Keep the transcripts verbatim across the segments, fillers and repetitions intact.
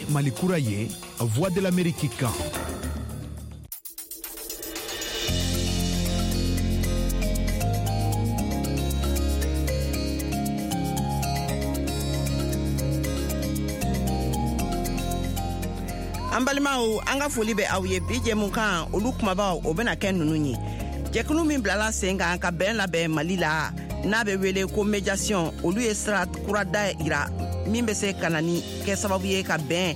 Ye Mali kura ye, Voix de l'Amérique kan. An balimaw, an ka foli bɛ aw ye. Bi jɛmukan, olu kumabaw, o bɛna kɛ ninnu ye: jɛkulu min bilala sen kan ka bɛn labɛn Mali la, n'a bɛ wele ko médiation, olu ye sira kura da yira min bɛ se ka na ni kɛ sababu ye ka bɛn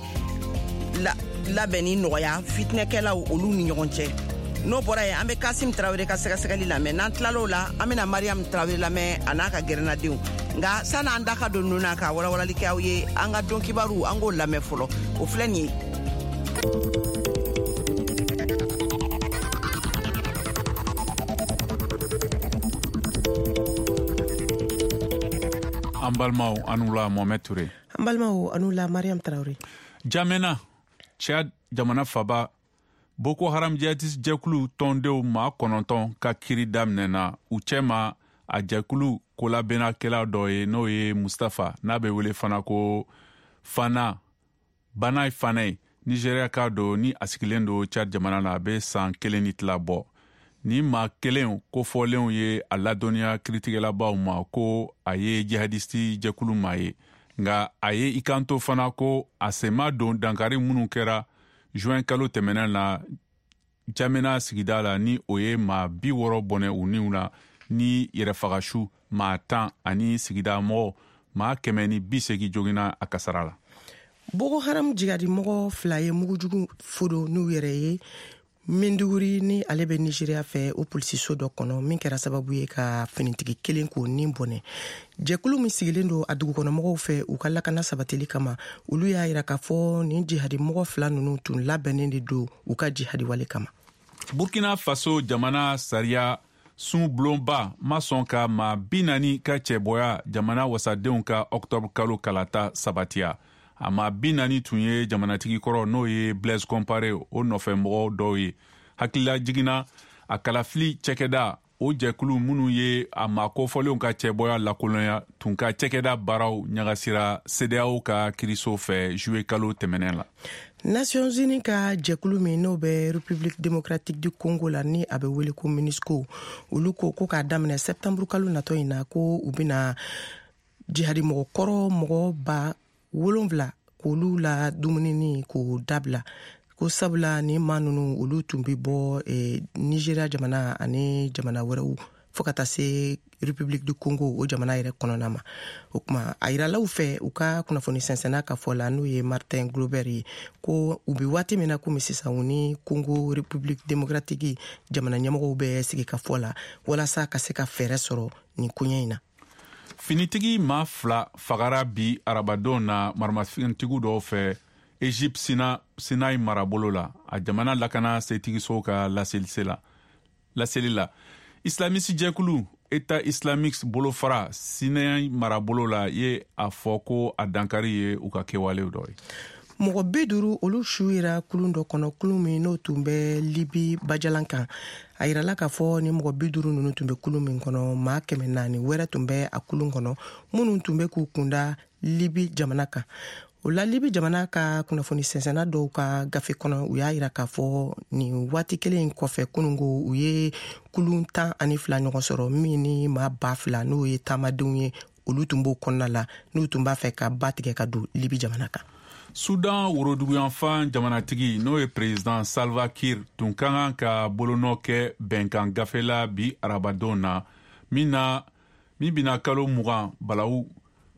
labɛnni nɔgɔya fitinɛkɛlaw olu ni ɲɔgɔn cɛ. N'o bɔra yen, an bɛ Kasim Tarawele ka sɛgɛsɛgɛli lamɛn. N'an tilal'o la, an bɛna Mariam Tarawele lamɛn a n'a ka gɛrɛnadenw. Nka san'an da ka don ninnu na ka walawalali kɛ aw ye, an ka don kibaru, an k'o lamɛn fɔlɔ. O filɛ nin ye. An balimaw, an la Mohamed Touré. An balimaw, an la Mariam Traoré. Jamena, Tchad jamana faba, Boko Haram jihadiste jɛkulu tɔndenw maa kɔnɔntɔn ka kiri daminɛna, u cɛma a jɛkulu kolabɛnnakɛla dɔ ye, n'o ye Mustafa, n'a bɛ wele fana ko Fana Banaye Fana ye, Nigeria ka don, ni a sigilen don Tchad jamana na, a bɛ san kelen ni tila bɔ. Ni maa kelen kofɔlenw ye a ladɔnniya kiritigɛlabaw ma ko a ye jihadisti jɛkulu maa ye, nka a ye i kanto fana ko a sen ma don dankari minnu kɛra juin kalo tɛmɛnen na Jamena sigida la, ni o ye maa bi wɔɔrɔ bɔnɛ u niw na, ni yɛrɛfagasu maa tan ani sigida mɔgɔ maa kɛmɛ ni bi seegin joginna a kasara la. Boko Haram jigadi mɔgɔ fila ye mugujugu fodo n'u yɛrɛ ye Maiduguri, ni ale bɛ Nigeria fɛ, o polisiso dɔ kɔnɔ, min kɛra sababu ye ka finitigi kelen k'o nin bɔnɛ. Jɛkulu min sigilen don a dugukɔnɔmɔgɔw fɛ u ka lakana sabatili kama, olu y'a yira k'a fɔ nin jihadi mɔgɔ fila ninnu tun labɛnnen de don u ka jihadi wale kama. Burkina Faso jamana sariya sun bulonba ma sɔn ka maa bi naani ka cɛbɔya jamana wasadenw ka octobre kalo kalata sabatiya. A maa bi naani tun ye jamanatigi kɔrɔ, n'o ye Blaise Compaoré, o nɔfɛmɔgɔ dɔw ye. Hakilila jiginna a kalafili cɛkɛda o jɛkulu minnu ye a maa kofɔlenw ka cɛbɔya lakolonya tun ka cɛkɛda baaraw ɲagasira CEDEAO ka kiriso fɛ juillet kalo tɛmɛnen la. Nations Unies ka jɛkulu min n'o bɛ République démocratique du Congo la, ni a bɛ wele ko MONUSCO, olu ko ko k'a daminɛ septembre kalo natɔ in na, ko u bɛna jihadi mɔgɔ kɔrɔ mɔgɔ ba wolonfila k'olu la dumunini k'o dabila, ko sabula ni maa ninnu olu tun bɛ bɔ eh, Nigeria jamana ani jamana wɛrɛw fo ka taa se République du Congo o jamana yɛrɛ kɔnɔna ma. O kuma a yiralaw fɛ u ka kunnafoni sɛnsɛnna ka fɔ la, n'o ye Martin Glober ye, ko u bɛ waati min na komi sisan, u ni Congo République démocratique jamana ɲɛmɔgɔw bɛ sigi ka fɔ la walasa ka se ka fɛɛrɛ sɔrɔ nin koɲɛ in na. Finitigi maa fila fagara bi arabadon na maramafɛntigiw dɔw fɛ Egypte Sina, Sinai marabolo la, a jamana lakana setigisow ka laseli la. Laseli la, islamisi jɛkulu État islamique bolofara Sinai marabolo la ye a fɔ ko a dankari ye u ka kɛwalew dɔ ye. Mɔgɔ bi duuru, olu su yera kulun dɔ kɔnɔ, kulun min n'o tun bɛ Libi bajalan kan. A yirala k'a fɔ ni mɔgɔ bi duuru ninnu tun bɛ kulun min kɔnɔ, maa kɛmɛ naani wɛrɛ tun bɛ a kulun kɔnɔ minnu tun bɛ k'u kunda Libi jamana kan. O la, Libi jamana ka kunnafoni sɛnsɛnna dɔw ka gafe kɔnɔ, u y'a yira k'a fɔ nin waati kelen in kɔfɛ kununko, u ye kulun tan ani fila ɲɔgɔn sɔrɔ min ni maa ba fila, n'o ye taamadenw ye, olu tun b'o kɔnɔna la, n'u tun b'a fɛ ka ba tigɛ ka don Libi jamana kan. Sudan woroduguyanfan jamanatigi, n'o ye président Salva Kiir, tun ka kan ka bolonɔ kɛ bɛnkan gafe la bi arabadon na, min na min bɛna kalo mugan balawu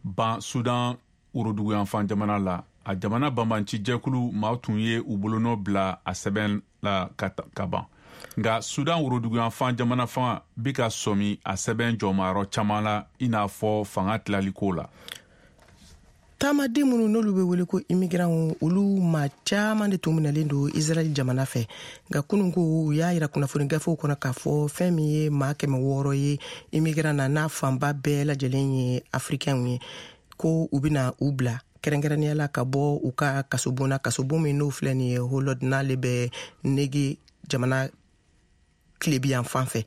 ban Sudan woroduguyanfan jamana la. A jamana banbanci jɛkulu maaw tun ye u bolonɔ bila a sɛbɛn la ka, ka ban, nka Sudan woroduguyanfan jamana fanga bi ka sɔmi a sɛbɛn jɔmayɔrɔ caman la, i n'a fɔ fanga tilaliko la. Taamaden minnu n'olu bɛ wele ko immigrants, olu maa caman de tun minɛlen don Israɛl jamana fɛ. Nka kunun ko u y'a yira kunnafoni gafew kɔnɔ k'a fɔ fɛn min ye maa kɛmɛ wɔɔrɔ ye immigrant na, n'a fanba bɛɛ lajɛlen ye africains ye, ko u bɛna u bila kɛrɛnkɛrɛnnenya la ka bɔ u ka kasobon na, kasobon min n'o filɛ nin ye Holod, n'ale bɛ Nege jamana tilebiyan fan fɛ.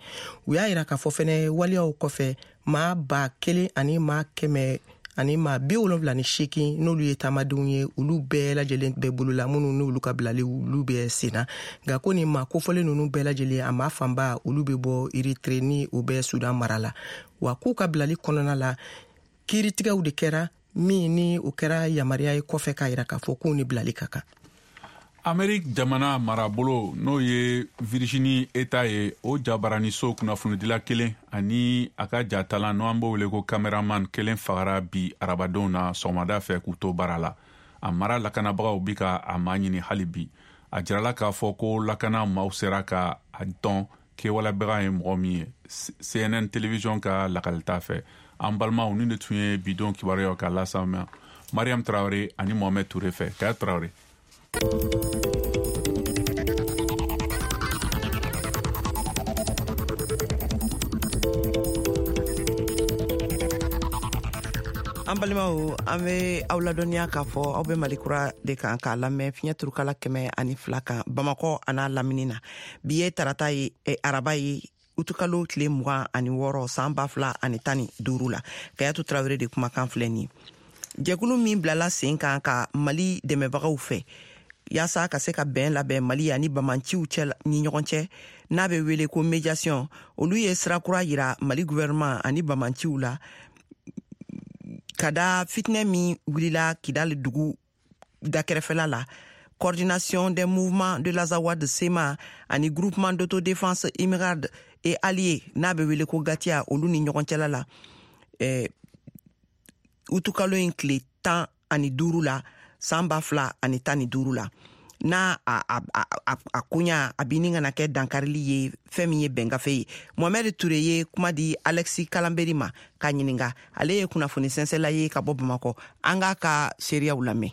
U y'a yira k'a fɔ fɛnɛ waleyaw kɔfɛ, maa ba kelen ani maa kɛmɛ ani maa bi wolonfila ni seegin n'olu ye taamadenw ye, olu bɛɛ lajɛlen bɛ bolo la, minnu n'olu ka bilali olu bɛ sen na. Nka ko nin maa kofɔlen ninnu bɛɛ lajɛlen, a maa fanba olu bɛ bɔ Eritre ni o bɛ Sudan mara la. Wa k'u ka bilali kɔnɔna la, kiiritigɛw de kɛra min ni o kɛra yamaruya ye kɔfɛ k'a yira k'a fɔ k'u ni bilali ka kan. Amerique jamana marabolo, n'o ye Virginie État ye, o jabaraniso kunnafonidila kelen ani a ka jatalan, n'o an b'o wele ko cameraman kelen, fagara bi arabadon na sɔgɔmada fɛ k'u to baara la. A mara lakanabagaw bi ka a maa ɲini hali bi. A jirala k'a fɔ ko lakana maaw sera ka a dɔn kɛwalebaga ye mɔgɔ min ye, C N N télévision ka lakalita fɛ. An balimaw, nin de tun ye bidon kibaruyaw ka las'aw ma Mariam Traoré ani Mohamed Touré fɛ. Kaya Traoré. An balimaw, an bɛ aw ladɔnniya k'a fɔ aw bɛ Mali Kura de kan k'a lamɛn fiɲɛ turukala kɛmɛ ani fila kan, Bamakɔ an'a lamini na. Bi ye tarata ye, eh, araba ye, utukalo tile mugan ani wɔɔrɔ san ba fila ani tan ni duuru la. Kayatu Tarawele de kumakan filɛ nin ye. Jɛkulu min bilala sen kan ka Mali dɛmɛbagaw fɛ yaasa ka se ka bɛn labɛn Mali ani bamanciw cɛ ni ɲɔgɔn cɛ, n'a bɛ wele ko médiation, olu ye sira kura yira Mali gouvernement ani bamanciw la ka da fitinɛ min wulila Kidali dugu dakɛrɛfɛla la. Coordination des mouvements de l'Azawad C M A ani Groupement d'autodéfense Imghad et alliés, n'a bɛ wele ko GATIA, olu ni ɲɔgɔn cɛla la eh, utukalo in tile tan ani duuru la san ba fila ani tan ni duuru la, n'a a, a, a, a, a koɲa a bi ni kana kɛ dankarili ye fɛn min ye bɛngafe ye. Mohamɛd Ture ye kuma di Alexis Kalanberi ma k'a ɲininga. Ale ye kunnafoni sɛnsɛla ye ka bɔ Bamakɔ. An k'a ka seereyaw lamɛn.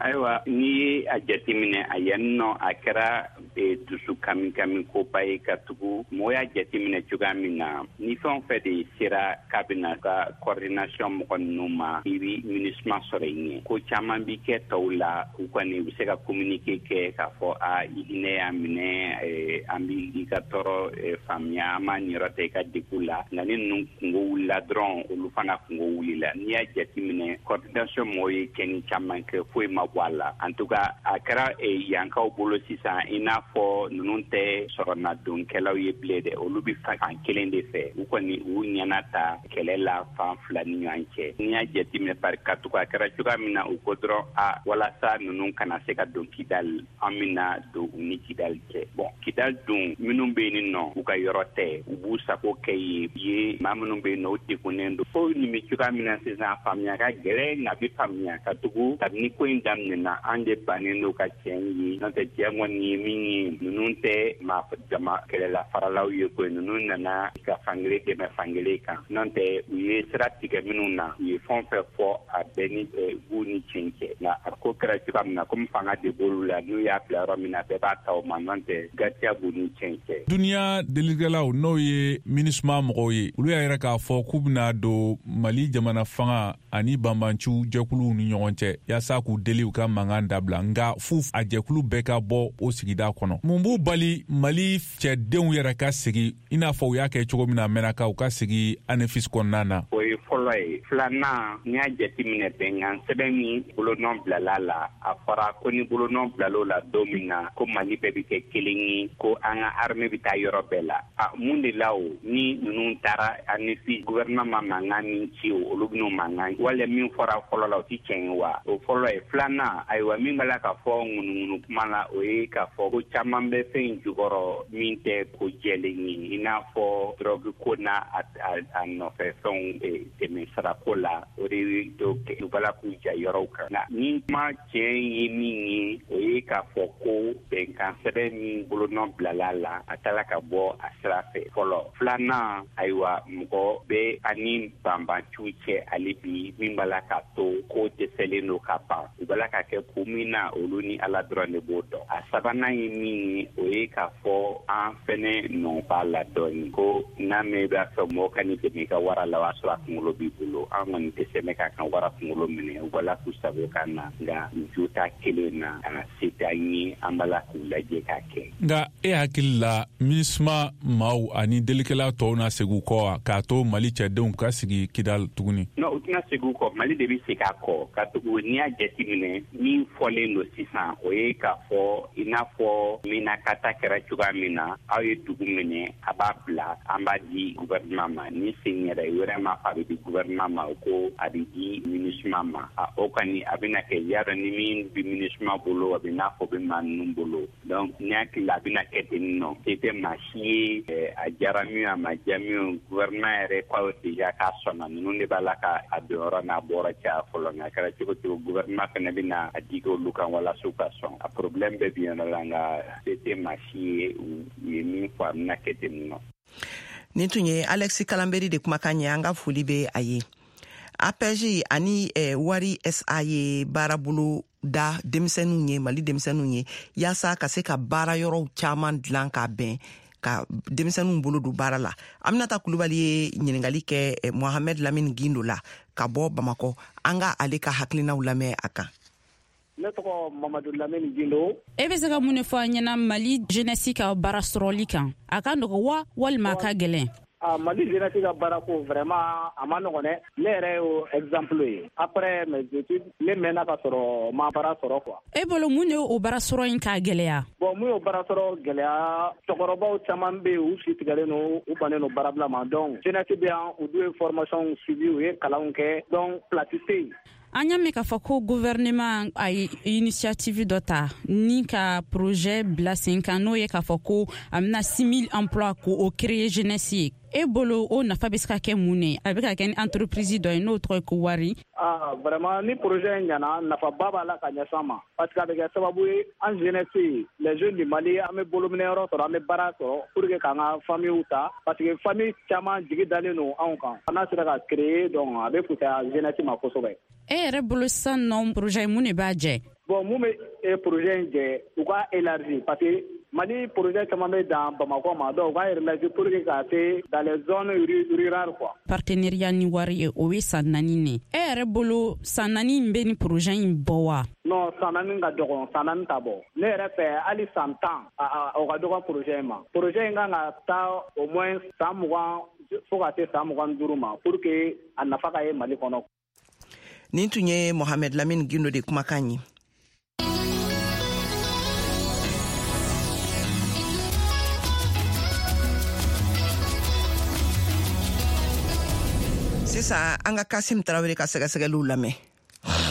Ayiwa, n'i ye a jateminɛ a yan nɔ, a kɛra e, dusu kami kami koba ye, ka tugu mɔgɔ y'a jateminɛ cogoya min na, ni fɛn o fɛn de sera k'a bɛna ka coordination mɔgɔ ninnu ma, i bi MINUSMA sɔrɔ i ɲɛ. Ko caman bi kɛ tɔw la, u kɔni u bɛ se ka communiqué kɛ k'a fɔ a i hinɛ y'a minɛ, an bi i ka tɔɔrɔ faamuya, an b'a niyɔrɔ ta i ka degun la. Nka ni ninnu kungo wulila dɔrɔn, olu fana kungo wulila. N'i y'a jateminɛ, coordination mɔgɔw ye kɛni caman kɛ, foyi ma bɔ a la. En tout cas, a kɛra yankaw bolo sisan i n'a fɔ ninnu tɛ sɔrɔnadonkɛlaw ye bilen dɛ, olu bɛ fan kelen de fɛ. U kɔni u ɲɛna ta kɛlɛ la fan fila ni ɲɔgɔn cɛ. N'i y'a jateminɛ, bari ka tugu a kɛra cogoya min na, u ko dɔrɔn a walasa ninnu kana se ka don Kidali, an bɛna don u ni Kidali cɛ. Bon, Kidali dun, minnu bɛ yen nɔ, u ka yɔrɔ tɛ, u b'u sago kɛ yen ye. Maa minnu bɛ yen nɔ, u degunnen don. Ko nin bɛ cogoya min na sisan, faamuya ka gɛlɛn, nka a bɛ faamuya, ka tugu kabini ko in daminɛna, an de bannen don ka tiɲɛ ye. N'o tɛ, tiɲɛ kɔni ye min ye, ninnu tɛ maa jama kɛlɛla faralaw ye koyi. Ninnu nana ka fankelen dɛmɛ fankelen kan. N'o tɛ, u ye sira tigɛ minnu na, u ye fɛn o fɛn fɔ, a bɛɛ ni b'u ni tiɲɛ cɛ. Nka a ko kɛra cogoya min na, komi fanga de b'olu la, n'u y'a bila yɔrɔ min na, bɛɛ b'a ta o ma. N'o tɛ, GATIA b'u ni tiɲɛ cɛ. Duniya delikɛlaw, n'o ye MINUSMA mɔgɔw ye, olu y'a yira k'a fɔ k'u bɛna don Mali jamana fanga ani banbanciw jɛkuluw ni ɲɔgɔn cɛ yaasa k'u deli u ka mankan dabila, nka fu a jɛkulu bɛɛ ka bɔ o sigida kɔnɔ. Mun b'u bali Mali cɛdenw yɛrɛ ka segi i n'a fɔ u y'a kɛ cogo min na Mɛnaka, u ka segi Anefis kɔnɔna na? O ye fɔlɔ ye. Filanan, n'i y'a jateminɛ, bɛnkan sɛbɛn min bolonɔ bilala la, a fɔra ko ni bolonɔ bilal'o la don min na, ko Mali bɛɛ bɛ kɛ kelen ye, ko an ka armée bɛ taa yɔrɔ bɛɛ la. A mun de la o ni ninnu taara Anefis, gouvernement ma mankan min ci, o olu bɛn'o mankan wala min fɔra fɔlɔ la, o ti tiɲɛ ye wa? O fɔlɔ ye. Filanan, ayiwa, min b'a la k'a fɔ ŋunuŋunu kuma la, o ye k'a fɔ ko caman bɛ fɛn in jukɔrɔ min tɛ ko jɛlen ye, i n'a fɔ drogue ko n'a a nɔfɛ fɛnw, dɛmɛ sarako la, o de dɔw u b'a la k'u ja yɔrɔw kan. Nka ni kuma tiɲɛ ye min ye, o ye k'a fɔ ko bɛnkan sɛbɛn min bolonɔ bilala la, a taara ka bɔ a sira fɛ fɔlɔ. Filanan, ayiwa, mɔgɔ bɛ ani banbanciw cɛ hali bi min b'a la k'a to ko dɛsɛlen don ka ban. U b'a bala ka kɛ ko min na, olu ni Ala dɔrɔn de b'o dɔn. A sabanan ye min ye, o ye k'a fɔ an fɛnɛ nɔ b'a la dɔɔni, ko n'a mɛn i b'a fɛ mɔgɔ ka n'i dɛmɛ i ka wara la, o y'a sɔrɔ a kunkolo b'i bolo. An kɔni tɛ sɛmɛ k'a kan wara kunkolo minɛ, u b'a k'u sago ka na, nka jo t'a kelen na, a se t'an ye, an b'a la k'u lajɛ k'a kɛ. Nka e hakili la, MINUSMA maaw ani delikɛla tɔw na segin u kɔ wa, k'a to Mali cɛdenw ka sigi Kidal tuguni? Non, u tɛna segin u kɔ, Mali de bɛ segin a kɔ, ka tugu n'i y'a jateminɛ min fɔlen don sisan, o ye k'a fɔ i n'a fɔ Minakata kɛra cogoya min na, aw ye dugu minɛ, a b'a bila, an b'a di gouvernement ma. Ni sen yɛrɛ wɛrɛ ma fɔ a bɛ di gouvernement ma, o ko a bɛ di MINUSMA ma. A o kɔni a bɛna kɛ y'a dɔn ni min bɛ MINUSMA bolo, a bɛ n'a fɔ bɛ maa ninnu bolo. Donc ne hakili la, a bɛna kɛ ten nɔ, se tɛ maa si ye, a diyara min, a ma diya min, gouvernement yɛrɛ ko déjà k'a sɔnna, ninnu de b'a la ka a donyɔrɔ n'a bɔra caya fɔlɔ. Nka a kɛra cogo cogo, gouvernement fana bɛna a digi olu kan walasa u ka sɔn. A problème bɛɛ bi yɔrɔ la, nka se tɛ maa si ye, u ye min fɔ, a bɛna kɛ ten nɔ. Nin tun ye Alexis Kalanberi de kumakan ye, an ka foli bɛ a ye. A P E J ani eh, Wari S A ye baarabolo da denmisɛnninw ye, Mali denmisɛnninw ye, yaasa ka se ka baara yɔrɔw caman dilan k'a bɛn ka denmisɛnninw bolo don baara la. Aminata Kulubali ye ɲiningali kɛ eh, Mohamed Lamine Gindo la ka bɔ Bamakɔ. An ka ale ka hakilinaw lamɛn a kan. Ne tɔgɔ Mamadu Lamini Gindo. E bɛ se ka mun de fɔ an ɲɛna Mali jeunesse ka baara sɔrɔli kan? A ka nɔgɔ wa, walima a ka gɛlɛn? Ah, Mali jeunesse ka baara ko, vraiment a ma nɔgɔn dɛ. Ne yɛrɛ y'o exemple ye. Après mes études, ne mɛnna ka sɔrɔ ma baara sɔrɔ quoi. E bolo, mun de o baara sɔrɔ in k'a gɛlɛya? Bon, mun y'o baara sɔrɔ gɛlɛya, cɛkɔrɔbaw caman bɛ yen, u si tigɛlen don, u bannen don baarabila ma. Donc jeunesse bɛ yan, u dun ye formation suivi, u ye kalanw kɛ, donc place tɛ yen. An y'a mɛn k'a fɔ ko gouvernement a ye initiative dɔ ta ni ka projet bila sen kan, n'o ye k'a fɔ ko a bɛna six mille emplois k'o o créer jeunesse ye. E bolo, o nafa bɛ se ka kɛ mun ne? A bɛ ka kɛ ni entreprise dɔ ye n'o tɔgɔ ye ko Wari. Ah, vraiment, ni projet in ɲɛna, nafaba b'a la ka ɲɛsin an ma, parce que a bɛ kɛ sababu ye, an jeunesse, les jeunes du Mali, an bɛ bolominɛyɔrɔ sɔrɔ, an bɛ baara sɔrɔ pour que k'an ka famille ta, parce que famille caman jigi dalen don anw kan. N'a sera ka créer, donc a bɛ fisaya jeunesse ma kosɛbɛ. E yɛrɛ bolo sisan nɔ, projet mun de b'a jɛ? Bon, mun bɛ projet in jɛ, u ka élargi, parce que Mali projet caman bɛ dan Bamakɔ ma, donc u ka élargi pour que ka se dans les zones rurales quoi. Partenariat ni Wari ye, o ye san naani ne. E yɛrɛ bolo, san naani in bɛ ni projet in bɔ wa? Non, san naani ka dɔgɔn, san naani ta bɔ. Ne yɛrɛ fɛ, hali san tan, o ka dɔgɔ projet in ma. Projet in kan ka taa au moins san mugan fo ka se san mugan ni duuru ma pour que a nafa ka ye Mali kɔnɔ. Nin tun ye Mohamed Lamine Gindo de kumakan ye. Sisan an ka Kasim Tarawele ka sɛgɛsɛgɛliw lamɛn.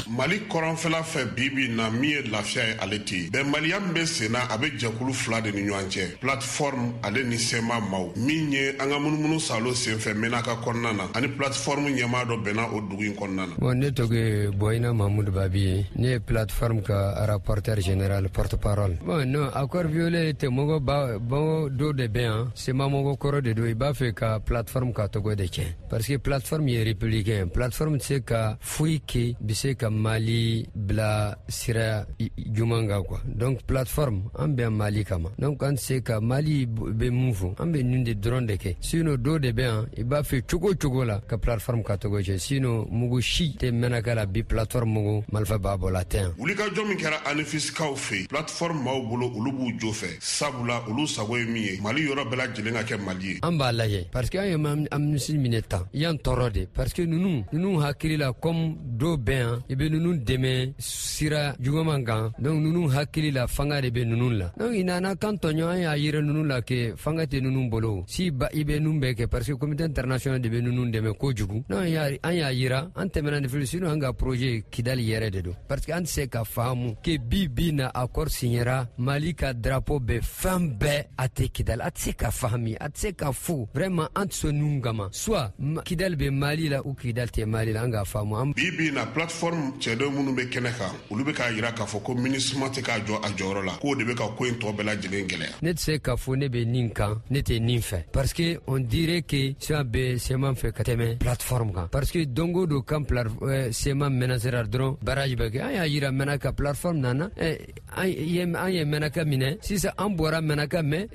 Mali kɔrɔnfɛla fɛ, bibi na, min ye lafiya ye, ale tɛ yen. Bɛnbaliya min bɛ sen na, a bɛ jɛkulu fila de ni ɲɔgɔn cɛ, Plateforme ale ni C M A maaw. Min ye an ka munumunu salo senfɛ Menaka kɔnɔna na, ani Plateforme ɲɛmaa dɔ bɛnna o dugu in kɔnɔna na. Bon, ne tɔgɔ ye Boyina Mahmoud Babi ye. Ne ye Plateforme ka rapporteur général, porte parole. Bon, non, accord violé tɛ. Mɔgɔ ba mɔgɔ dɔw de bɛ yan, C M A mɔgɔ kɔrɔ de don, i b'a fɛ ka Plateforme ka tɔgɔ de tiɲɛ, parce que Plateforme ye républicain. Plateforme tɛ se ka foyi kɛ bɛ se ka Mali bila sira juman kan quoi. Donc Plateforme, an bɛ Mali kama, donc an tɛ se ka Mali bɛ mun fɔ, an bɛ nin de dɔrɔn de kɛ. Sinon dɔw de bɛ yan, i b'a fɛ cogo cogo la ka Plateforme ka tɔgɔ tiɲɛ. Sinon mugu si tɛ Mɛnaka la bi, Plateforme mugu marifa b'a bɔ la tɛ yan. Wulikajɔ min kɛra Anefisikaw fɛ yen, Plateforme maaw bolo, olu b'u jo fɛ, sabula olu sago ye min ye, Mali yɔrɔ bɛɛ lajɛlen ka kɛ Mali ye. An b'a lajɛ, parce que an ye amnistie minɛ tan yan tɔɔrɔ de, parce que ninnu ninnu hakili la, comme dɔw bɛ yan, i bɛ ninnu dɛmɛ sira juguman kan, donc ninnu hakili la, fanga de bɛ ninnu la. Donc i nana kan tɔɲɔ, an y'a yira ninnu la ke fanga tɛ ninnu bolo si ba, i bɛ ninnu bɛɛ kɛ, parce que communauté internationale de bɛ ninnu dɛmɛ kojugu. Donc an y'a yira, an tɛmɛna ni fili. Sinon an ka projet Kidali yɛrɛ de don, parce que an tɛ se ka faamu ke bi bi na accord signera, Mali ka drapeau bɛ fɛn bɛɛ, a tɛ Kidali. A tɛ se ka fahami, a tɛ se ka fo. Vraiment, an tɛ sɔn ninnu kama, soit Kidali bɛ Mali la ou Kidali tɛ Mali la, an k'a faamu. Bi bi na, Plateforme Plateforme cɛden minnu bɛ kɛnɛ kan, olu bɛ k'a jira k'a fɔ ko MINUSMA tɛ k'a jɔ a jɔyɔrɔ la, k'o de bɛ ka ko in tɔ bɛɛ lajɛlen gɛlɛya. Ne tɛ se k'a fɔ ne bɛ nin kan, ne tɛ nin fɛ, parce que on dirait que C M A bɛ C M A fɛ ka tɛmɛ plateforme kan, parce que don o don kan C M A menacera dɔrɔn barrage bɛ kɛ. An y'a yira Menaka, plateforme nana, an ye Menaka minɛ, sisan an bɔra Menaka, mais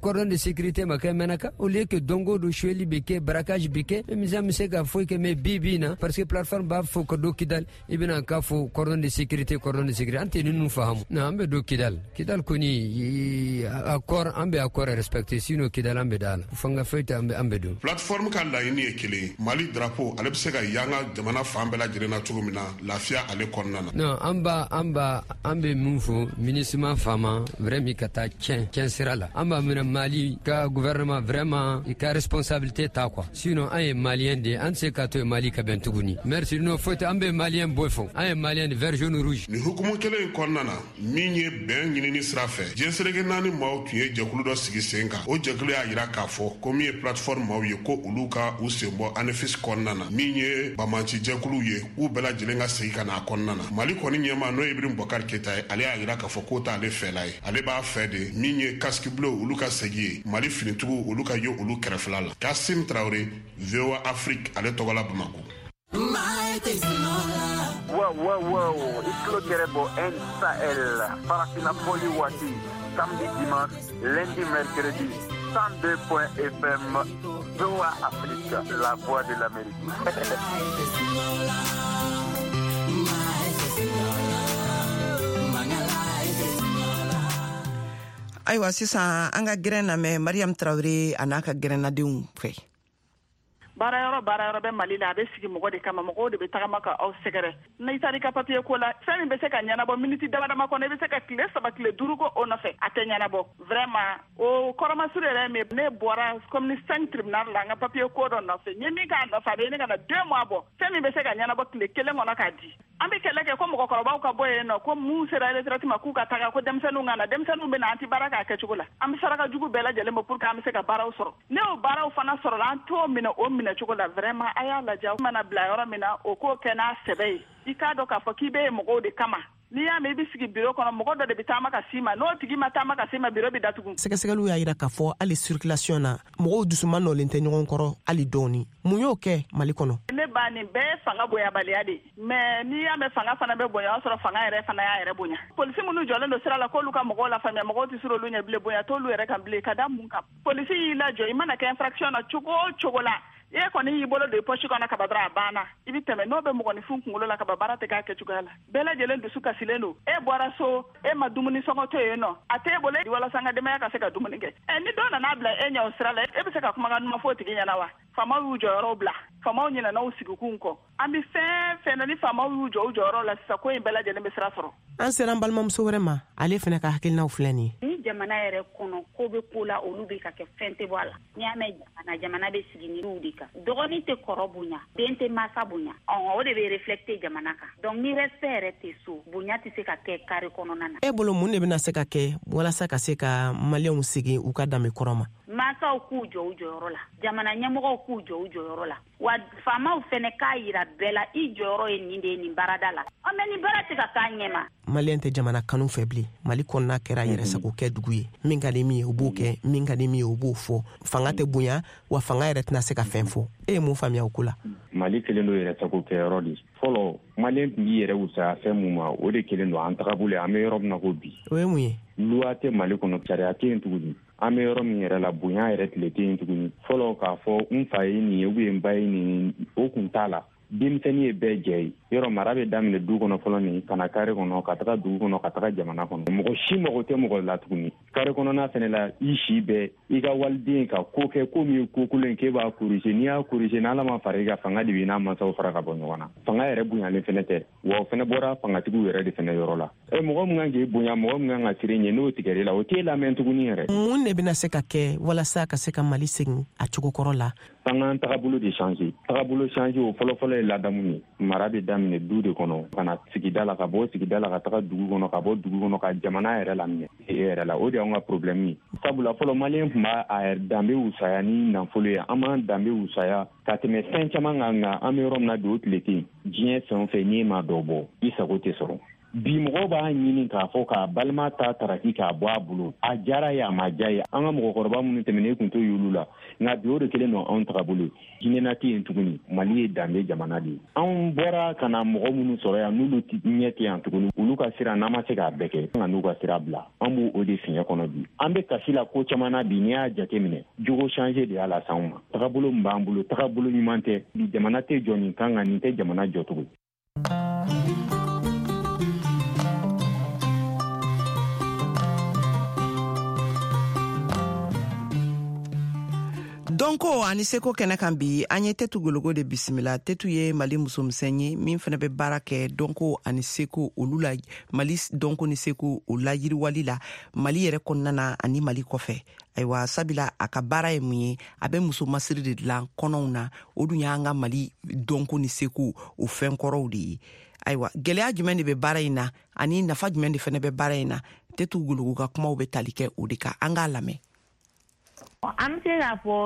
cordon de sécurité ma kɛ Menaka, au lieu que don o don suyɛli bɛ kɛ, braquage bɛ kɛ, misa bɛ se ka foyi kɛ. Mais bi bi in na, parce que plateforme b'a fɔ ka don Kidal, i bɛna k'a fɔ cordon de sécurité, cordon de sécurité, an tɛ ninnu faamu. Non, an bɛ don Kidal, Kidal kɔni accord, an bɛ accord respecter, sinon Kidal an bɛ da la, fanga foyi tɛ, an bɛ don. Plateforme ka laɲini ye kelen, Mali drapeau ale bɛ se ka yanga jamana fan bɛɛ lajɛlen na cogo min na lafiya ale kɔnɔna na. Non, an b'a an b'a an bɛ mun fɔ MINUSMA faama, vraiment ka taa tiɲɛ tiɲɛ sira la, an b'a minɛ Mali ka gouvernement vraiment i ka responsabilité ta quoi, sinon an ye malien de ye, an tɛ se k'a to yen Mali ka bɛn tuguni. Merci. Non, foyi tɛ, an bɛ malien bɔ fɔ, an ye malien de, vert jaune rouge. Nin hukumu kelen in kɔnɔna na, min ye bɛn ɲinini sira fɛ, diɲɛ seleke naani maaw tun ye jɛkulu dɔ sigi sen kan. O jɛkulu y'a jira k'a fɔ ko min ye plateforme maaw ye, ko olu ka u sen bɔ ANEFIS kɔnɔna na, min ye banbaanci jɛkuluw ye, k'u bɛɛ lajɛlen ka segin ka na a kɔnɔna na. Mali kɔni ɲɛmaa, n'o ye Ibrahim Boubacar Keïta ye, ale y'a jira k'a fɔ k'o t'ale fɛla ye, ale b'a fɛ de min ye casque bleu olu ka segin ye, Mali finitigiw olu ka ye olu kɛrɛfɛla la. Kassim Traoré, V O A Afrique, ale tɔgɔ la Bamakɔ. Wow, wow, wow, i tulo gɛrɛ bɔ N Sahel, Farafina fɔli waati, samedi, dimanche, lundi, mercredi, cent deux point F M, V O A Afrique, la voix de l'Amérique. Ayiwa, sisan an ka gɛrɛn lamɛn Mariam Traoré a n'a ka gɛrɛnnadenw fɛ. Baara yɔrɔ baara yɔrɔ bɛ Mali la, a bɛ sigi mɔgɔ de kama, mɔgɔw de bɛ tagama ka aw sɛgɛrɛ. N'i taara i ka papier ko la, fɛn min bɛ se ka ɲɛnabɔ miniti dama dama kɔnɔ, i bɛ se ka tile saba tile duuru ko o nɔfɛ, a tɛ ɲɛnabɔ. Vraiment, o kɔrɔmasuru yɛrɛ min, ne bɔra commune cinq tribunal la, n ka papier ko dɔ nɔfɛ, n ye min k'a nɔfɛ, a bɛ ɲini ka na deux mois bɔ, fɛn min bɛ se ka ɲɛnabɔ tile kelen kɔnɔ k'a di. An bɛ kɛlɛ kɛ ko mɔgɔkɔrɔbaw ka bɔ yen nɔ, ko mun sera retraite ma k'u ka taga, ko denmisɛnninw ka na, denmisɛnninw bɛ na, an tɛ baara k'a kɛcogo la. An bɛ saraka jugu bɛɛ lajɛlen bɔ pour que an bɛ se ka baaraw sɔrɔ. Ne y'o baaraw fana sɔrɔ, an t'o minɛ o minɛ cogo la. Vraiment, a y'a lajɛ, mana bila yɔrɔ min na, o k'o kɛ n'a sɛbɛ ye. I k'a dɔn k'a fɔ k'i bɛ yen mɔgɔw de kama. N'i y'a mɛn i bɛ sigi biro kɔnɔ, mɔgɔ dɔ de bɛ taama ka s'i ma, n'o tigi ma taama ka s'i ma, biro bɛ datugu. Sɛgɛsɛgɛliw y'a jira k'a fɔ hali circulation na, mɔgɔw dusuma nɔlen tɛ ɲɔgɔn kɔrɔ hali dɔɔni. Mun y'o kɛ Mali kɔnɔ? Ne ba, nin bɛɛ ye fanga bonyabaliya de ye, mais n'i y'a mɛn fanga fana bɛ bonya, o y'a sɔrɔ fanga yɛrɛ fana y'a yɛrɛ bonya. Polisi minnu jɔlen don sira la k'olu ka mɔgɔw lafaamuya, mɔgɔw tɛ siran olu ɲɛ bilen, bonya t'olu yɛrɛ kan bilen. Ka da mun kan? Polisi y'i lajɔ, i mana kɛ infraction na cogo o cogo la, e kɔni y'i bolo don i poche kɔnɔ kaba dɔrɔn, a banna, i bɛ tɛmɛ. N'o bɛ mɔgɔninfin kunkolo la kaba, baara tɛ k'a kɛcogoya la. Bɛɛ lajɛlen dusu kasilen don. E bɔra so, e ma dumuni sɔngɔ to yen nɔ, a t'e bolo walasa n ka denbaya ka se ka dumuni kɛ. Ɛ, ni dɔ nana bila e ɲɛ o sira la, e bɛ se ka kumakan duman fɔ o tigi ɲɛna wa? Faamaw y'u jɔyɔrɔw bila, faamaw ɲinɛna u sigikun kɔ. An bɛ fɛn fɛn na, ni faamaw y'u jɔ u jɔyɔrɔ la sisan, ko in bɛɛ lajɛlen bɛ sira sɔrɔ. An sera an balimamuso wɛrɛ ma, ale fana ka hakilinaw filɛ nin ye. Ni jamana yɛrɛ kɔnɔ ko bɛ ko la, olu bɛ ka kɛ fɛn tɛ bɔ a la. N'i y'a mɛn jamana, jamana bɛ sigi ni de kan. Dɔgɔnin tɛ kɔrɔ bonya, den tɛ masa bonya, ɔhɔn, o de bɛ reflecter jamana kan. Donc ni respect yɛrɛ tɛ so, bonya tɛ se ka kɛ carré kɔnɔna na. E bolo, mun de bɛna se ka kɛ walasa ka se ka maliyɛnw segin u ka danbe kɔrɔ ma? Mansaw k'u jɔ u jɔyɔrɔ la, jamana ɲɛmɔgɔw k'u jɔ u jɔyɔrɔ la, wa faamaw fɛnɛ k'a yira bɛɛ la, i jɔyɔrɔ ye nin de ye nin baarada la. Ɔ, mais nin baara tɛ ka k'a ɲɛ ma. Maliyɛn tɛ jamana kanu fɛ bilen. Mali kɔnɔna kɛra yɛrɛsago kɛ dugu ye. Min ka di min ye, o b'o kɛ, min ka di min ye, o b'o fɔ. Fanga tɛ bonya, wa fanga yɛrɛ tɛna se ka fɛn fɔ. E ye mun faamuya o ko la? Mali kelen don yɛrɛsago kɛyɔrɔ de. Fɔlɔ, maliyɛn tun b'i yɛrɛ wusaya fɛn mun ma, o de kelen don an tagabolo ye, an bɛ yɔrɔ min na ko bi. O ye mun ye? Loi tɛ Mali kɔnɔ, sariya tɛ yen tuguni. An bɛ yɔrɔ min yɛrɛ la, bonya yɛrɛ tile tɛ yen tuguni. Fɔlɔ, k'a fɔ n fa ye nin ye ou bien n ba ye nin ye, o kun t'a la. Denmisɛnnin ye bɛɛ jɛ ye. Yɔrɔ mara bɛ daminɛ du kɔnɔ fɔlɔ nin, ka na carré kɔnɔ, ka taga dugu kɔnɔ, ka taga jamana kɔnɔ. Mɔgɔ si mago tɛ mɔgɔ la tuguni. Carré kɔnɔna fɛnɛ la, i si bɛɛ i ka waliden ka ko kɛ ko min ye ko kolon ye, k'e b'a corriger. N'i y'a corriger, n'Ala ma fara i ka, fanga de b'i n'a mansaw fara ka bɔ ɲɔgɔn na. Fanga yɛrɛ bonyalen fɛnɛ tɛ, wa o fɛnɛ bɔra fangatigiw yɛrɛ de fɛnɛ yɔrɔ la. Ɛ, mɔgɔ min kan k'e bonya, mɔgɔ min kan ka siran ɲɛ, n'o tigɛr'e la, o t'e lamɛn tuguni yɛrɛ. Mun de bɛna se ka kɛ walasa ka se ka Mali segin a cogo kɔrɔ la? An k'an tagabolo de changer. Tagabolo changer, o fɔlɔ fɔlɔ ye ladamu ye. Mara bɛ daminɛ du de kɔnɔ ka na sigida la, ka bɔ sigida la ka taga dugu kɔnɔ, ka bɔ dugu kɔnɔ ka jamana yɛrɛ laminɛ e yɛrɛ la. O de y'anw ka problème ye. Sabula fɔlɔ maliyɛn tun b'a a danbe wusaya ni nafolo ye. An b'an danbe wusaya ka tɛmɛ fɛn caman kan, nka an bɛ yɔrɔ min na bi o tile tɛ yen. Diɲɛ fɛn o fɛn n'i ma dɔ bɔ i sago tɛ sɔrɔ. Bi mɔgɔw b'a ɲini k'a fɔ k'a balima ta taraki k'a bɔ a bolo, a diyara ye a ma diya ye. An ka mɔgɔkɔrɔba minnu tɛmɛnen kun t'o y'olu la, nka bi o de kelen don anw tagabolo. Hinɛna tɛ yen tuguni. Mali ye danbe jamana de ye. Anw bɔra ka na mɔgɔ minnu sɔrɔ yan n'olu ɲɛ tɛ yan tuguni, olu ka sira n'an ma se k'a bɛɛ kɛ, nka n'u ka sira bila, an b'o o de fiɲɛ kɔnɔ bi. An bɛ kasi la ko caman na bi, n'i y'a jateminɛ jogo changer de y'a las'anw ma. Tagabolo min b'an bolo, tagabolo ɲuman tɛ. Bi jamana tɛ jɔ nin kan, nka nin tɛ jamana jɔ tugun. Dɔnko ani seko kɛnɛ kan bi, an ye Tetu Gologo de bisimila. Tetu ye Mali musomisɛn ye min fana bɛ baara kɛ dɔnko ani seko olu la, Mali dɔnko ni seko o layiriwali la Mali yɛrɛ kɔnɔna na ani Mali kɔfɛ. Ayiwa, sabila a ka baara ye mun ye? A bɛ muso masiri de dilan kɔnɔw na, o dun y'an ka Mali dɔnko ni seko o fɛn kɔrɔw de ye. Ayiwa, gɛlɛya jumɛn de bɛ baara in na ani nafa jumɛn de fana bɛ baara in na? Tetu Gologo ka kumaw bɛ tali kɛ o de kan, an k'a lamɛn. An bɛ se k'a fɔ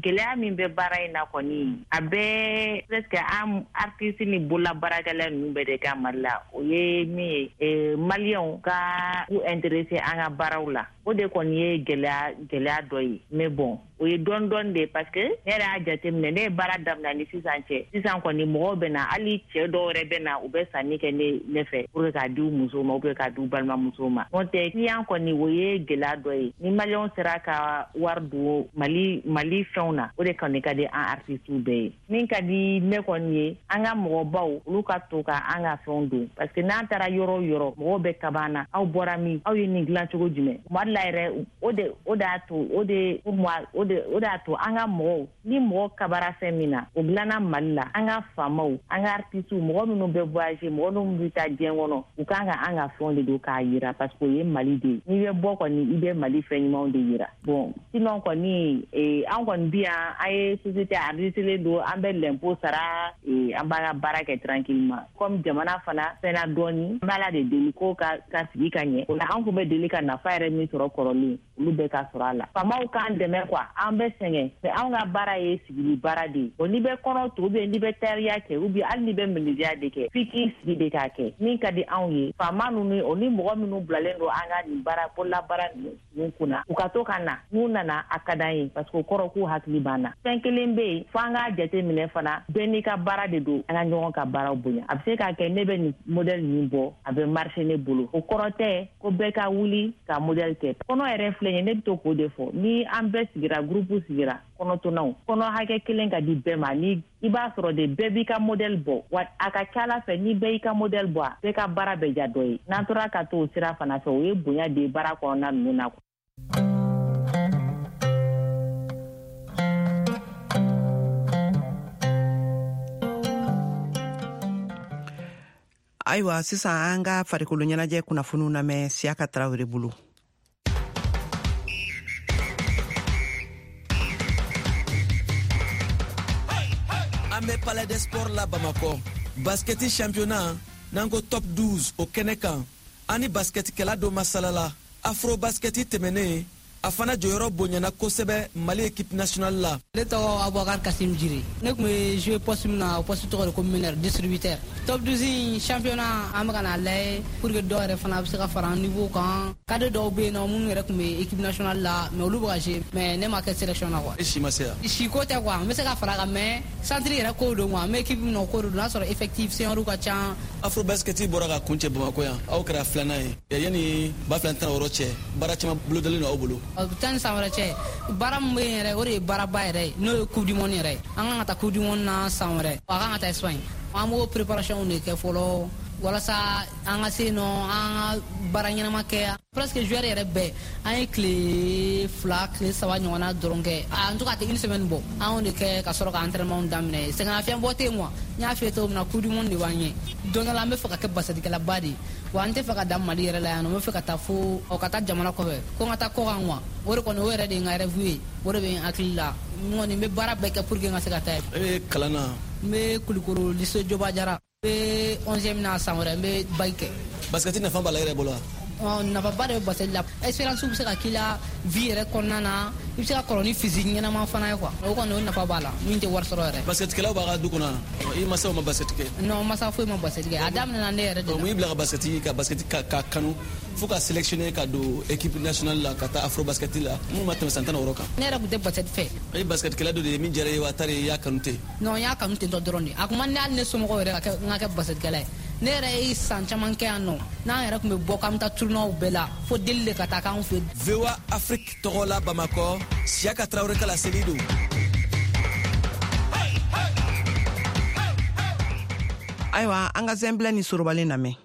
gɛlɛya min bɛ baara in na kɔni, a bɛɛ presque an artiste ni bololabaarakɛla ninnu bɛɛ de ka Mali la. O ye min ye, maliyɛnw ka u intéressé an ka baaraw la, o de kɔni ye gɛlɛya gɛlɛya dɔ ye. Mais bon, o ye dɔɔni dɔɔni de ye, parce que ne yɛrɛ y'a jateminɛ, ne ye baara daminɛ ni sisan cɛ, sisan kɔni mɔgɔw bɛ na, hali cɛ dɔw yɛrɛ bɛ na, u bɛ sanni kɛ ne ne fɛ pour que k'a di u musow ma ou bien k'a di u balimamusow ma. N'o tɛ client kɔni, o ye gɛlɛya dɔ ye. Ni maliyɛnw sera ka wari don Mali Mali fɛnw na, o de kɔni ka di an artistes bɛɛ ye. Min ka di ne kɔni ye, an ka mɔgɔbaw olu ka to ka an ka fɛnw don, parce que n'an taara yɔrɔ o yɔrɔ, mɔgɔw bɛ kaba an na, aw bɔra min, aw ye nin dilan cogo jumɛn? Tuma dɔ la yɛrɛ, o de o de y'a to o de pour moi o de o de y'a to an ka mɔgɔw, ni mɔgɔ kabara fɛn min na, o dilanna Mali la, an ka faamaw, an ka artistes, mɔgɔ minnu bɛ voyager, mɔgɔ minnu bɛ taa diɲɛ kɔnɔ, u kan ka an ka fɛnw de don k'a yira, parce que o ye Mali de ye. N'i bɛ bɔ kɔni, i bɛ Mali fɛn ɲumanw de yira. Bon, sinon kɔni, an kɔni bi yan, an ye société enregistrée don, an bɛ l'impôt sara, an b'an ka baara kɛ tranquillement. Comme jamana fana fɛnna dɔɔni, an b'Ala de deli ko ka ka sigi ka ɲɛ. O la an kun bɛ deli ka nafa yɛrɛ min sɔrɔ kɔrɔlen, olu bɛɛ ka sɔrɔ a la. Faamaw k'an dɛmɛ quoi, an bɛ sɛgɛn, mais anw ka baara ye sigili baara de ye. Bon, n'i bɛ kɔnɔ to, ou bien n'i bɛ tariya kɛ, ou bien hali n'i bɛ menuisier de kɛ, f'i k'i sigi de k'a kɛ. Min ka di anw ye, faama ninnu o ni mɔgɔ minnu bilalen don an ka nin baara bololabaara ninnu kunna, u ka to ka na. N'u nana, a ka d'an ye, parce que o kɔrɔ k'u hakili b'an na. Fɛn kelen bɛ yen, fo an k'a jateminɛ fana, bɛɛ n'i ka baara de don, an ka ɲɔgɔn ka baaraw bonya. A bɛ se k'a kɛ ne bɛ nin modèle nin bɔ, a bɛ marcher ne bolo, o kɔrɔ tɛ ko bɛɛ ka wuli ka modèle kɛ. Kɔnɔ yɛrɛ filɛ nin ye, ne bɛ to k'o de fɔ, ni an bɛɛ sigira, groupe sigira, kɔnɔtɔnnaw, kɔnɔ hakɛ kelen ka di bɛɛ ma, ni i b'a sɔrɔ de bɛɛ b'i ka modèle bɔ, wa a ka ca ala fɛ ni bɛɛ y'i ka modèle bɔ, a bɛɛ ka baara bɛ ja dɔ ye. N'an tora ka to o sira fana fɛ, o ye bonya de ye baara kɔnɔna ninnu na. Ayiwa, sisan an ka farikolo ɲɛnajɛ kunnafoniw lamɛn Siyaka Tarawele bolo. An bɛ Palais des Sports la Bamakɔ. Basketi championnat n'an ko top douze o kɛnɛ kan, an ni basketikɛla dɔ masalala. Afro basketi tɛmɛnen, a fana jɔyɔrɔ bonyana kosɛbɛ Mali équipe nationale la. Ne tɔgɔ Abubakar Kasim Jire. Ne tun bɛ jouer poste min na, o poste tɔgɔ de ko meneur distributeur. Top douze championnat an bɛ ka n'a lajɛ pour que dɔw yɛrɛ fana bɛ se ka fara an niveau kan. Cadre dɔw bɛ yen nɔ minnu yɛrɛ tun bɛ équipe nationale la, mais olu bɛ ka jouer, mais ne ma kɛ sélection na quoi. E si ma se yan? Si ko tɛ quoi, n bɛ se ka fara a kan, mais centre yɛrɛ ko don quoi, n bɛ équipe min na o ko don, n'a sɔrɔ effectif senior ka ca. Afro basket bɔra ka kuncɛ Bamakɔ yan, aw kɛra filanan ye. Yanni ba fila ni tan ni wɔɔrɔ cɛ, baara caman bolodalen don aw bolo. Tan ni san wɛrɛ cɛ, baara min bɛ yen yɛrɛ, o de ye baaraba yɛrɛ ye, n'o ye coupe du monde yɛrɛ ye. An kan ka taa coupe du monde na san wɛrɛ, a kan ka taa Espagne. An b'o préparation de kɛ fɔlɔ walasa an ka se yen nɔ, an ka baara ɲɛnama kɛ. Presque joueur yɛrɛ bɛɛ, an ye tile fila tile saba ɲɔgɔnna dɔrɔn kɛ, en tout cas a tɛ une semaine bɔ, an y'o de kɛ ka sɔrɔ ka entraînement daminɛ. Sɛgɛnnafiɲɛbɔ tɛ yen quoi, n y'a f'i ye cogo min na, coupe du monde de b'an ɲɛ. Don dɔ la an bɛ fɛ ka kɛ basetikɛlaba de ye, wa an tɛ fɛ ka dan Mali yɛrɛ la yan nɔ, n bɛ fɛ ka taa fo ka taa jamana kɔfɛ, ko n ka taa kɔkan quoi. O de kɔni, o yɛrɛ de ye n ka rêve ye, o de bɛ n hakili la. N kɔni n bɛ baara bɛɛ kɛ pour que n ka se ka taa yen. E bɛ kalan na N bɛ Kulukoro lycée Joba Jara. N bɛ onzième na san wɛrɛ n bɛ bac kɛ. Basket nafa b'a la yɛrɛ bolo wa? Nafaba de bɛ basket la. Expérience bɛ se ka k'i la vie yɛrɛ kɔnɔna na, i bɛ se ka kɔrɔ ni physique ɲɛnama fana ye quoi. O kɔni o nafa b'a la min tɛ wari sɔrɔ yɛrɛ. Basketkɛlaw b'a ka du kɔnɔ i masaw ma basket kɛ? Non, masa foyi ma basket kɛ. A daminɛna ne yɛrɛ de la. Mun y'i bila ka basket ka basket ka ka kanu fo ka sélectionner ka don équipe nationale la ka taa afro basket la minnu ma tɛmɛ san tan ni wɔɔrɔ kan? Ne yɛrɛ tun tɛ basket fɛ. I ye basketkɛla dɔ de ye min diyara i ye wa tari i y'a kanu ten? Non, n y'a kanu ten tɔ dɔrɔn de. A kun man di hali ne somɔgɔw yɛrɛ ka kɛ n ka kɛ basketkɛla ye. Ne yɛrɛ ye san caman kɛ yan nɔ, n'an yɛrɛ tun bɛ bɔ k'an bɛ taa tournoi bɛɛ la fo deli de ka taa k'anw fɛ. V O A Afrique tɔgɔ la Bamakɔ, Siyaka Tarawele ka laseli don. Ayiwa, an ka zɛnbilɛ ni sorobalen lamɛn.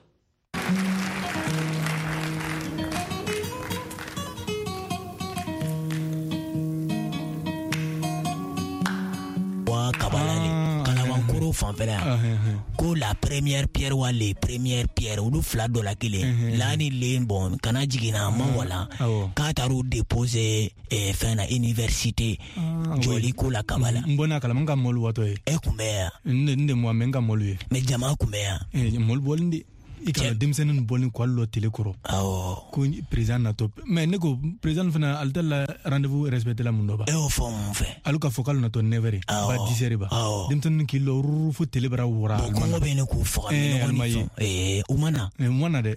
Wa kabalali kalabankoro fanfɛla yan ko la première pierre wa les premières pierres olu fila dɔ la kelen la ni len bon kana jiginna ma wala k'a taar'u déposer fɛn na université jɔli ko la kabala. N bɔnna kalama n ka mɔlu watɔ ye. E kun bɛ yan? N de mɔ mɛ n ka mɔlu ye. Mais jama kun bɛ yan? Mɔlu bɔlen de. I ka denmisɛnnin bɔlen k'ale lɔ télé kɔrɔ. Awɔ. Ko président natɔ mais ne ko président fana ale tɛ la rendez-vous respecté la mun dɔ ba. E y'o fɔ mun fɛ? Ale k'a fɔ k'ale natɔ neuf heures ba dix heures ba. Denmisɛnnin k'i lɔ ruru fo télé bara wara. Bon kɔngɔ bɛ ne k'u faga. Ɛɛ ma ye. Ee u ma na. U ma na dɛ.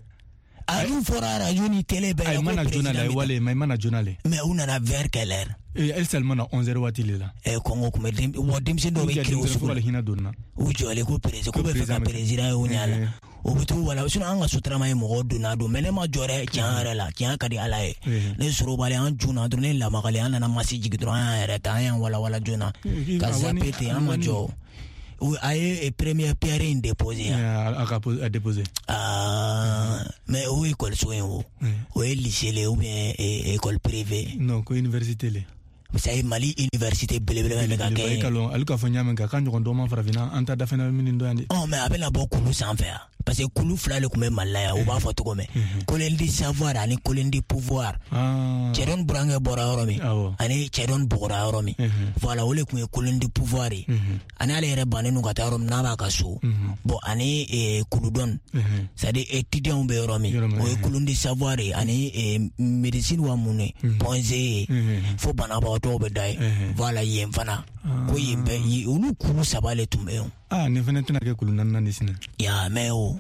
A dun fɔra radio ni télé bɛɛ la. A ma na joona la wale mais i ma na joona le. Mais u nana vers quelle heure? Elle seulement na onze heures waati le la. Eh kɔngɔ kun bɛ den wa denmisɛnnin dɔw bɛ kirin o sugu la. Hinɛ donna. U jɔlen ko président ko bɛ fɛ ka président ye o ɲɛ la. O bɛ t'u wala sinon an ka sotarama ye mɔgɔw donna don mais ne ma jɔ dɛ tiɲɛ yɛrɛ la tiɲɛ ka di Ala ye. Ne sorobalen an joona dɔrɔn ne lamagalen an nana masi jigin dɔrɔn an y'an yɛrɛ ta an y'an walawala joona ka zappe ten an ma jɔ. A ye première pierre in déposé. A ka déposé. Ah mais o ye école so in o. O ye lycée le ou bien école privée? Non, ko université le. C'est Mali université belebele bɛ ka kɛ. E ka lɔn ale k'a fɔ ɲa min kan k'a ɲɔgɔn dɔ ma farafinna an ta dafɛnna minnu dɔn yan de. Ɔ mais a bɛna bɔ kulu sanfɛ yan parce que kulu fila de tun bɛ Mali la yan u b'a fɔ cogo min. Colonne du savoir ani colonne du pouvoir. Cɛdɔn burankɛ bɔra yɔrɔ min ani cɛdɔn bɔgɔra yɔrɔ min. Voilà o de tun ye colonne du pouvoir ye. Ani ale yɛrɛ bannen don ka taa yɔrɔ min n'a b'a ka so. Bon ani kuludɔn c'est à dire étudiants bɛ yɔrɔ min o ye colonne du savoir ye ani médecine wa mun ye point G ye fo banabagatɔ dɔw bɛ da ye. Voilà yen fana ko yen bɛ olu kulu saba de tun bɛ yen. Ah nin fana tɛna kɛ kulu naaninan de sini. Ya mais o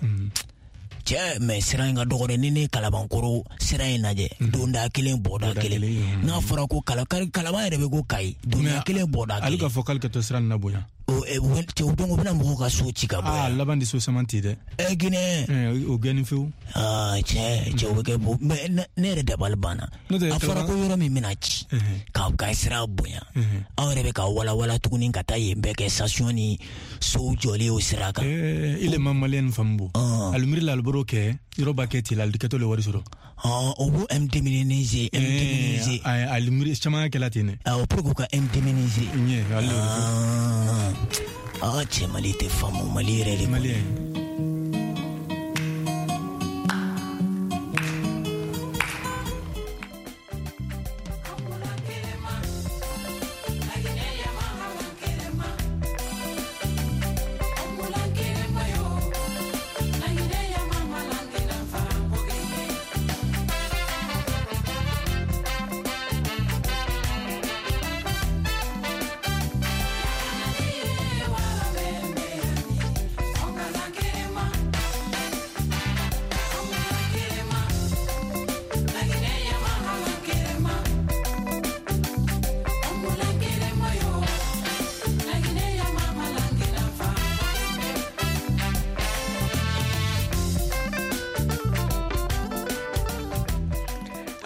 cɛ mais sira in ka dɔgɔ dɛ ni ne Kalabankoro sira in lajɛ donda kelen bɔda kelen n'a fɔra ko kala Kalaban yɛrɛ bɛ ko Kayi donda kelen bɔda kelen. Ale k'a fɔ k'ale ka to sira nin na bonya. O cɛ o donc o bɛna mɔgɔw ka so ci ka bɔ yan. Ah laban de so caman ti dɛ. Ɛ Guinée. O gɛnni fewu. Ah cɛ cɛ o bɛ kɛ bo mais ne yɛrɛ dabali banna. A fɔra ko yɔrɔ min bɛna ci ka ka sira bonya aw yɛrɛ bɛ ka walawala tuguni ka taa yen bɛɛ kɛ station ni sow jɔlen o sira kan. Ee ile ma maliyɛn faamu bo. Ali miiri la ali bɔr'o kɛ yɔrɔ b'a kɛ ten la ali kɛtɔ le wari sɔrɔ. O b'o indemniser indemniser. Ali miiri caman kɛla ten dɛ. Awɔ pour que u ka indemniser. Ɲɛ ale. Ah cɛ Mali tɛ faamu Mali yɛrɛ de. Mali.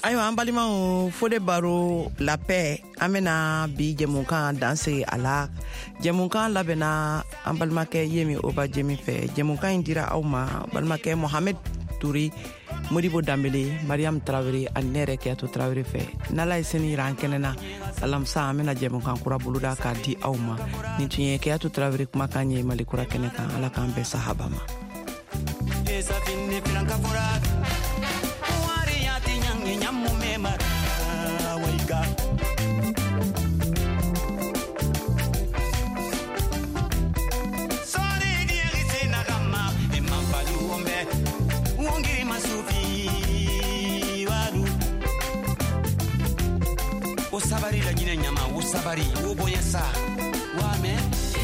Ayiwa an balimaw Fode Baro la paix an bɛna bi jɛmukan danse a la. Jɛmukan labɛnna an balimakɛ Yemi Oba Jemi fɛ. Jɛmukan in dira aw ma balimakɛ Mohamed Touré, Modibo Dambele, Mariam Traoré ani ne yɛrɛ Keyatu Traoré fɛ. N'Ala ye sini yira an kɛnɛ na alamisa an bɛna jɛmukan kura boloda k'a di aw ma. Nin tun ye Keyatu Traoré kumakan ye Mali kura kɛnɛ kan. Ala k'an bɛn sahaba ma. Sabari la Guinée ɲama, wo sabari, wo bonya sa. Wa mɛ.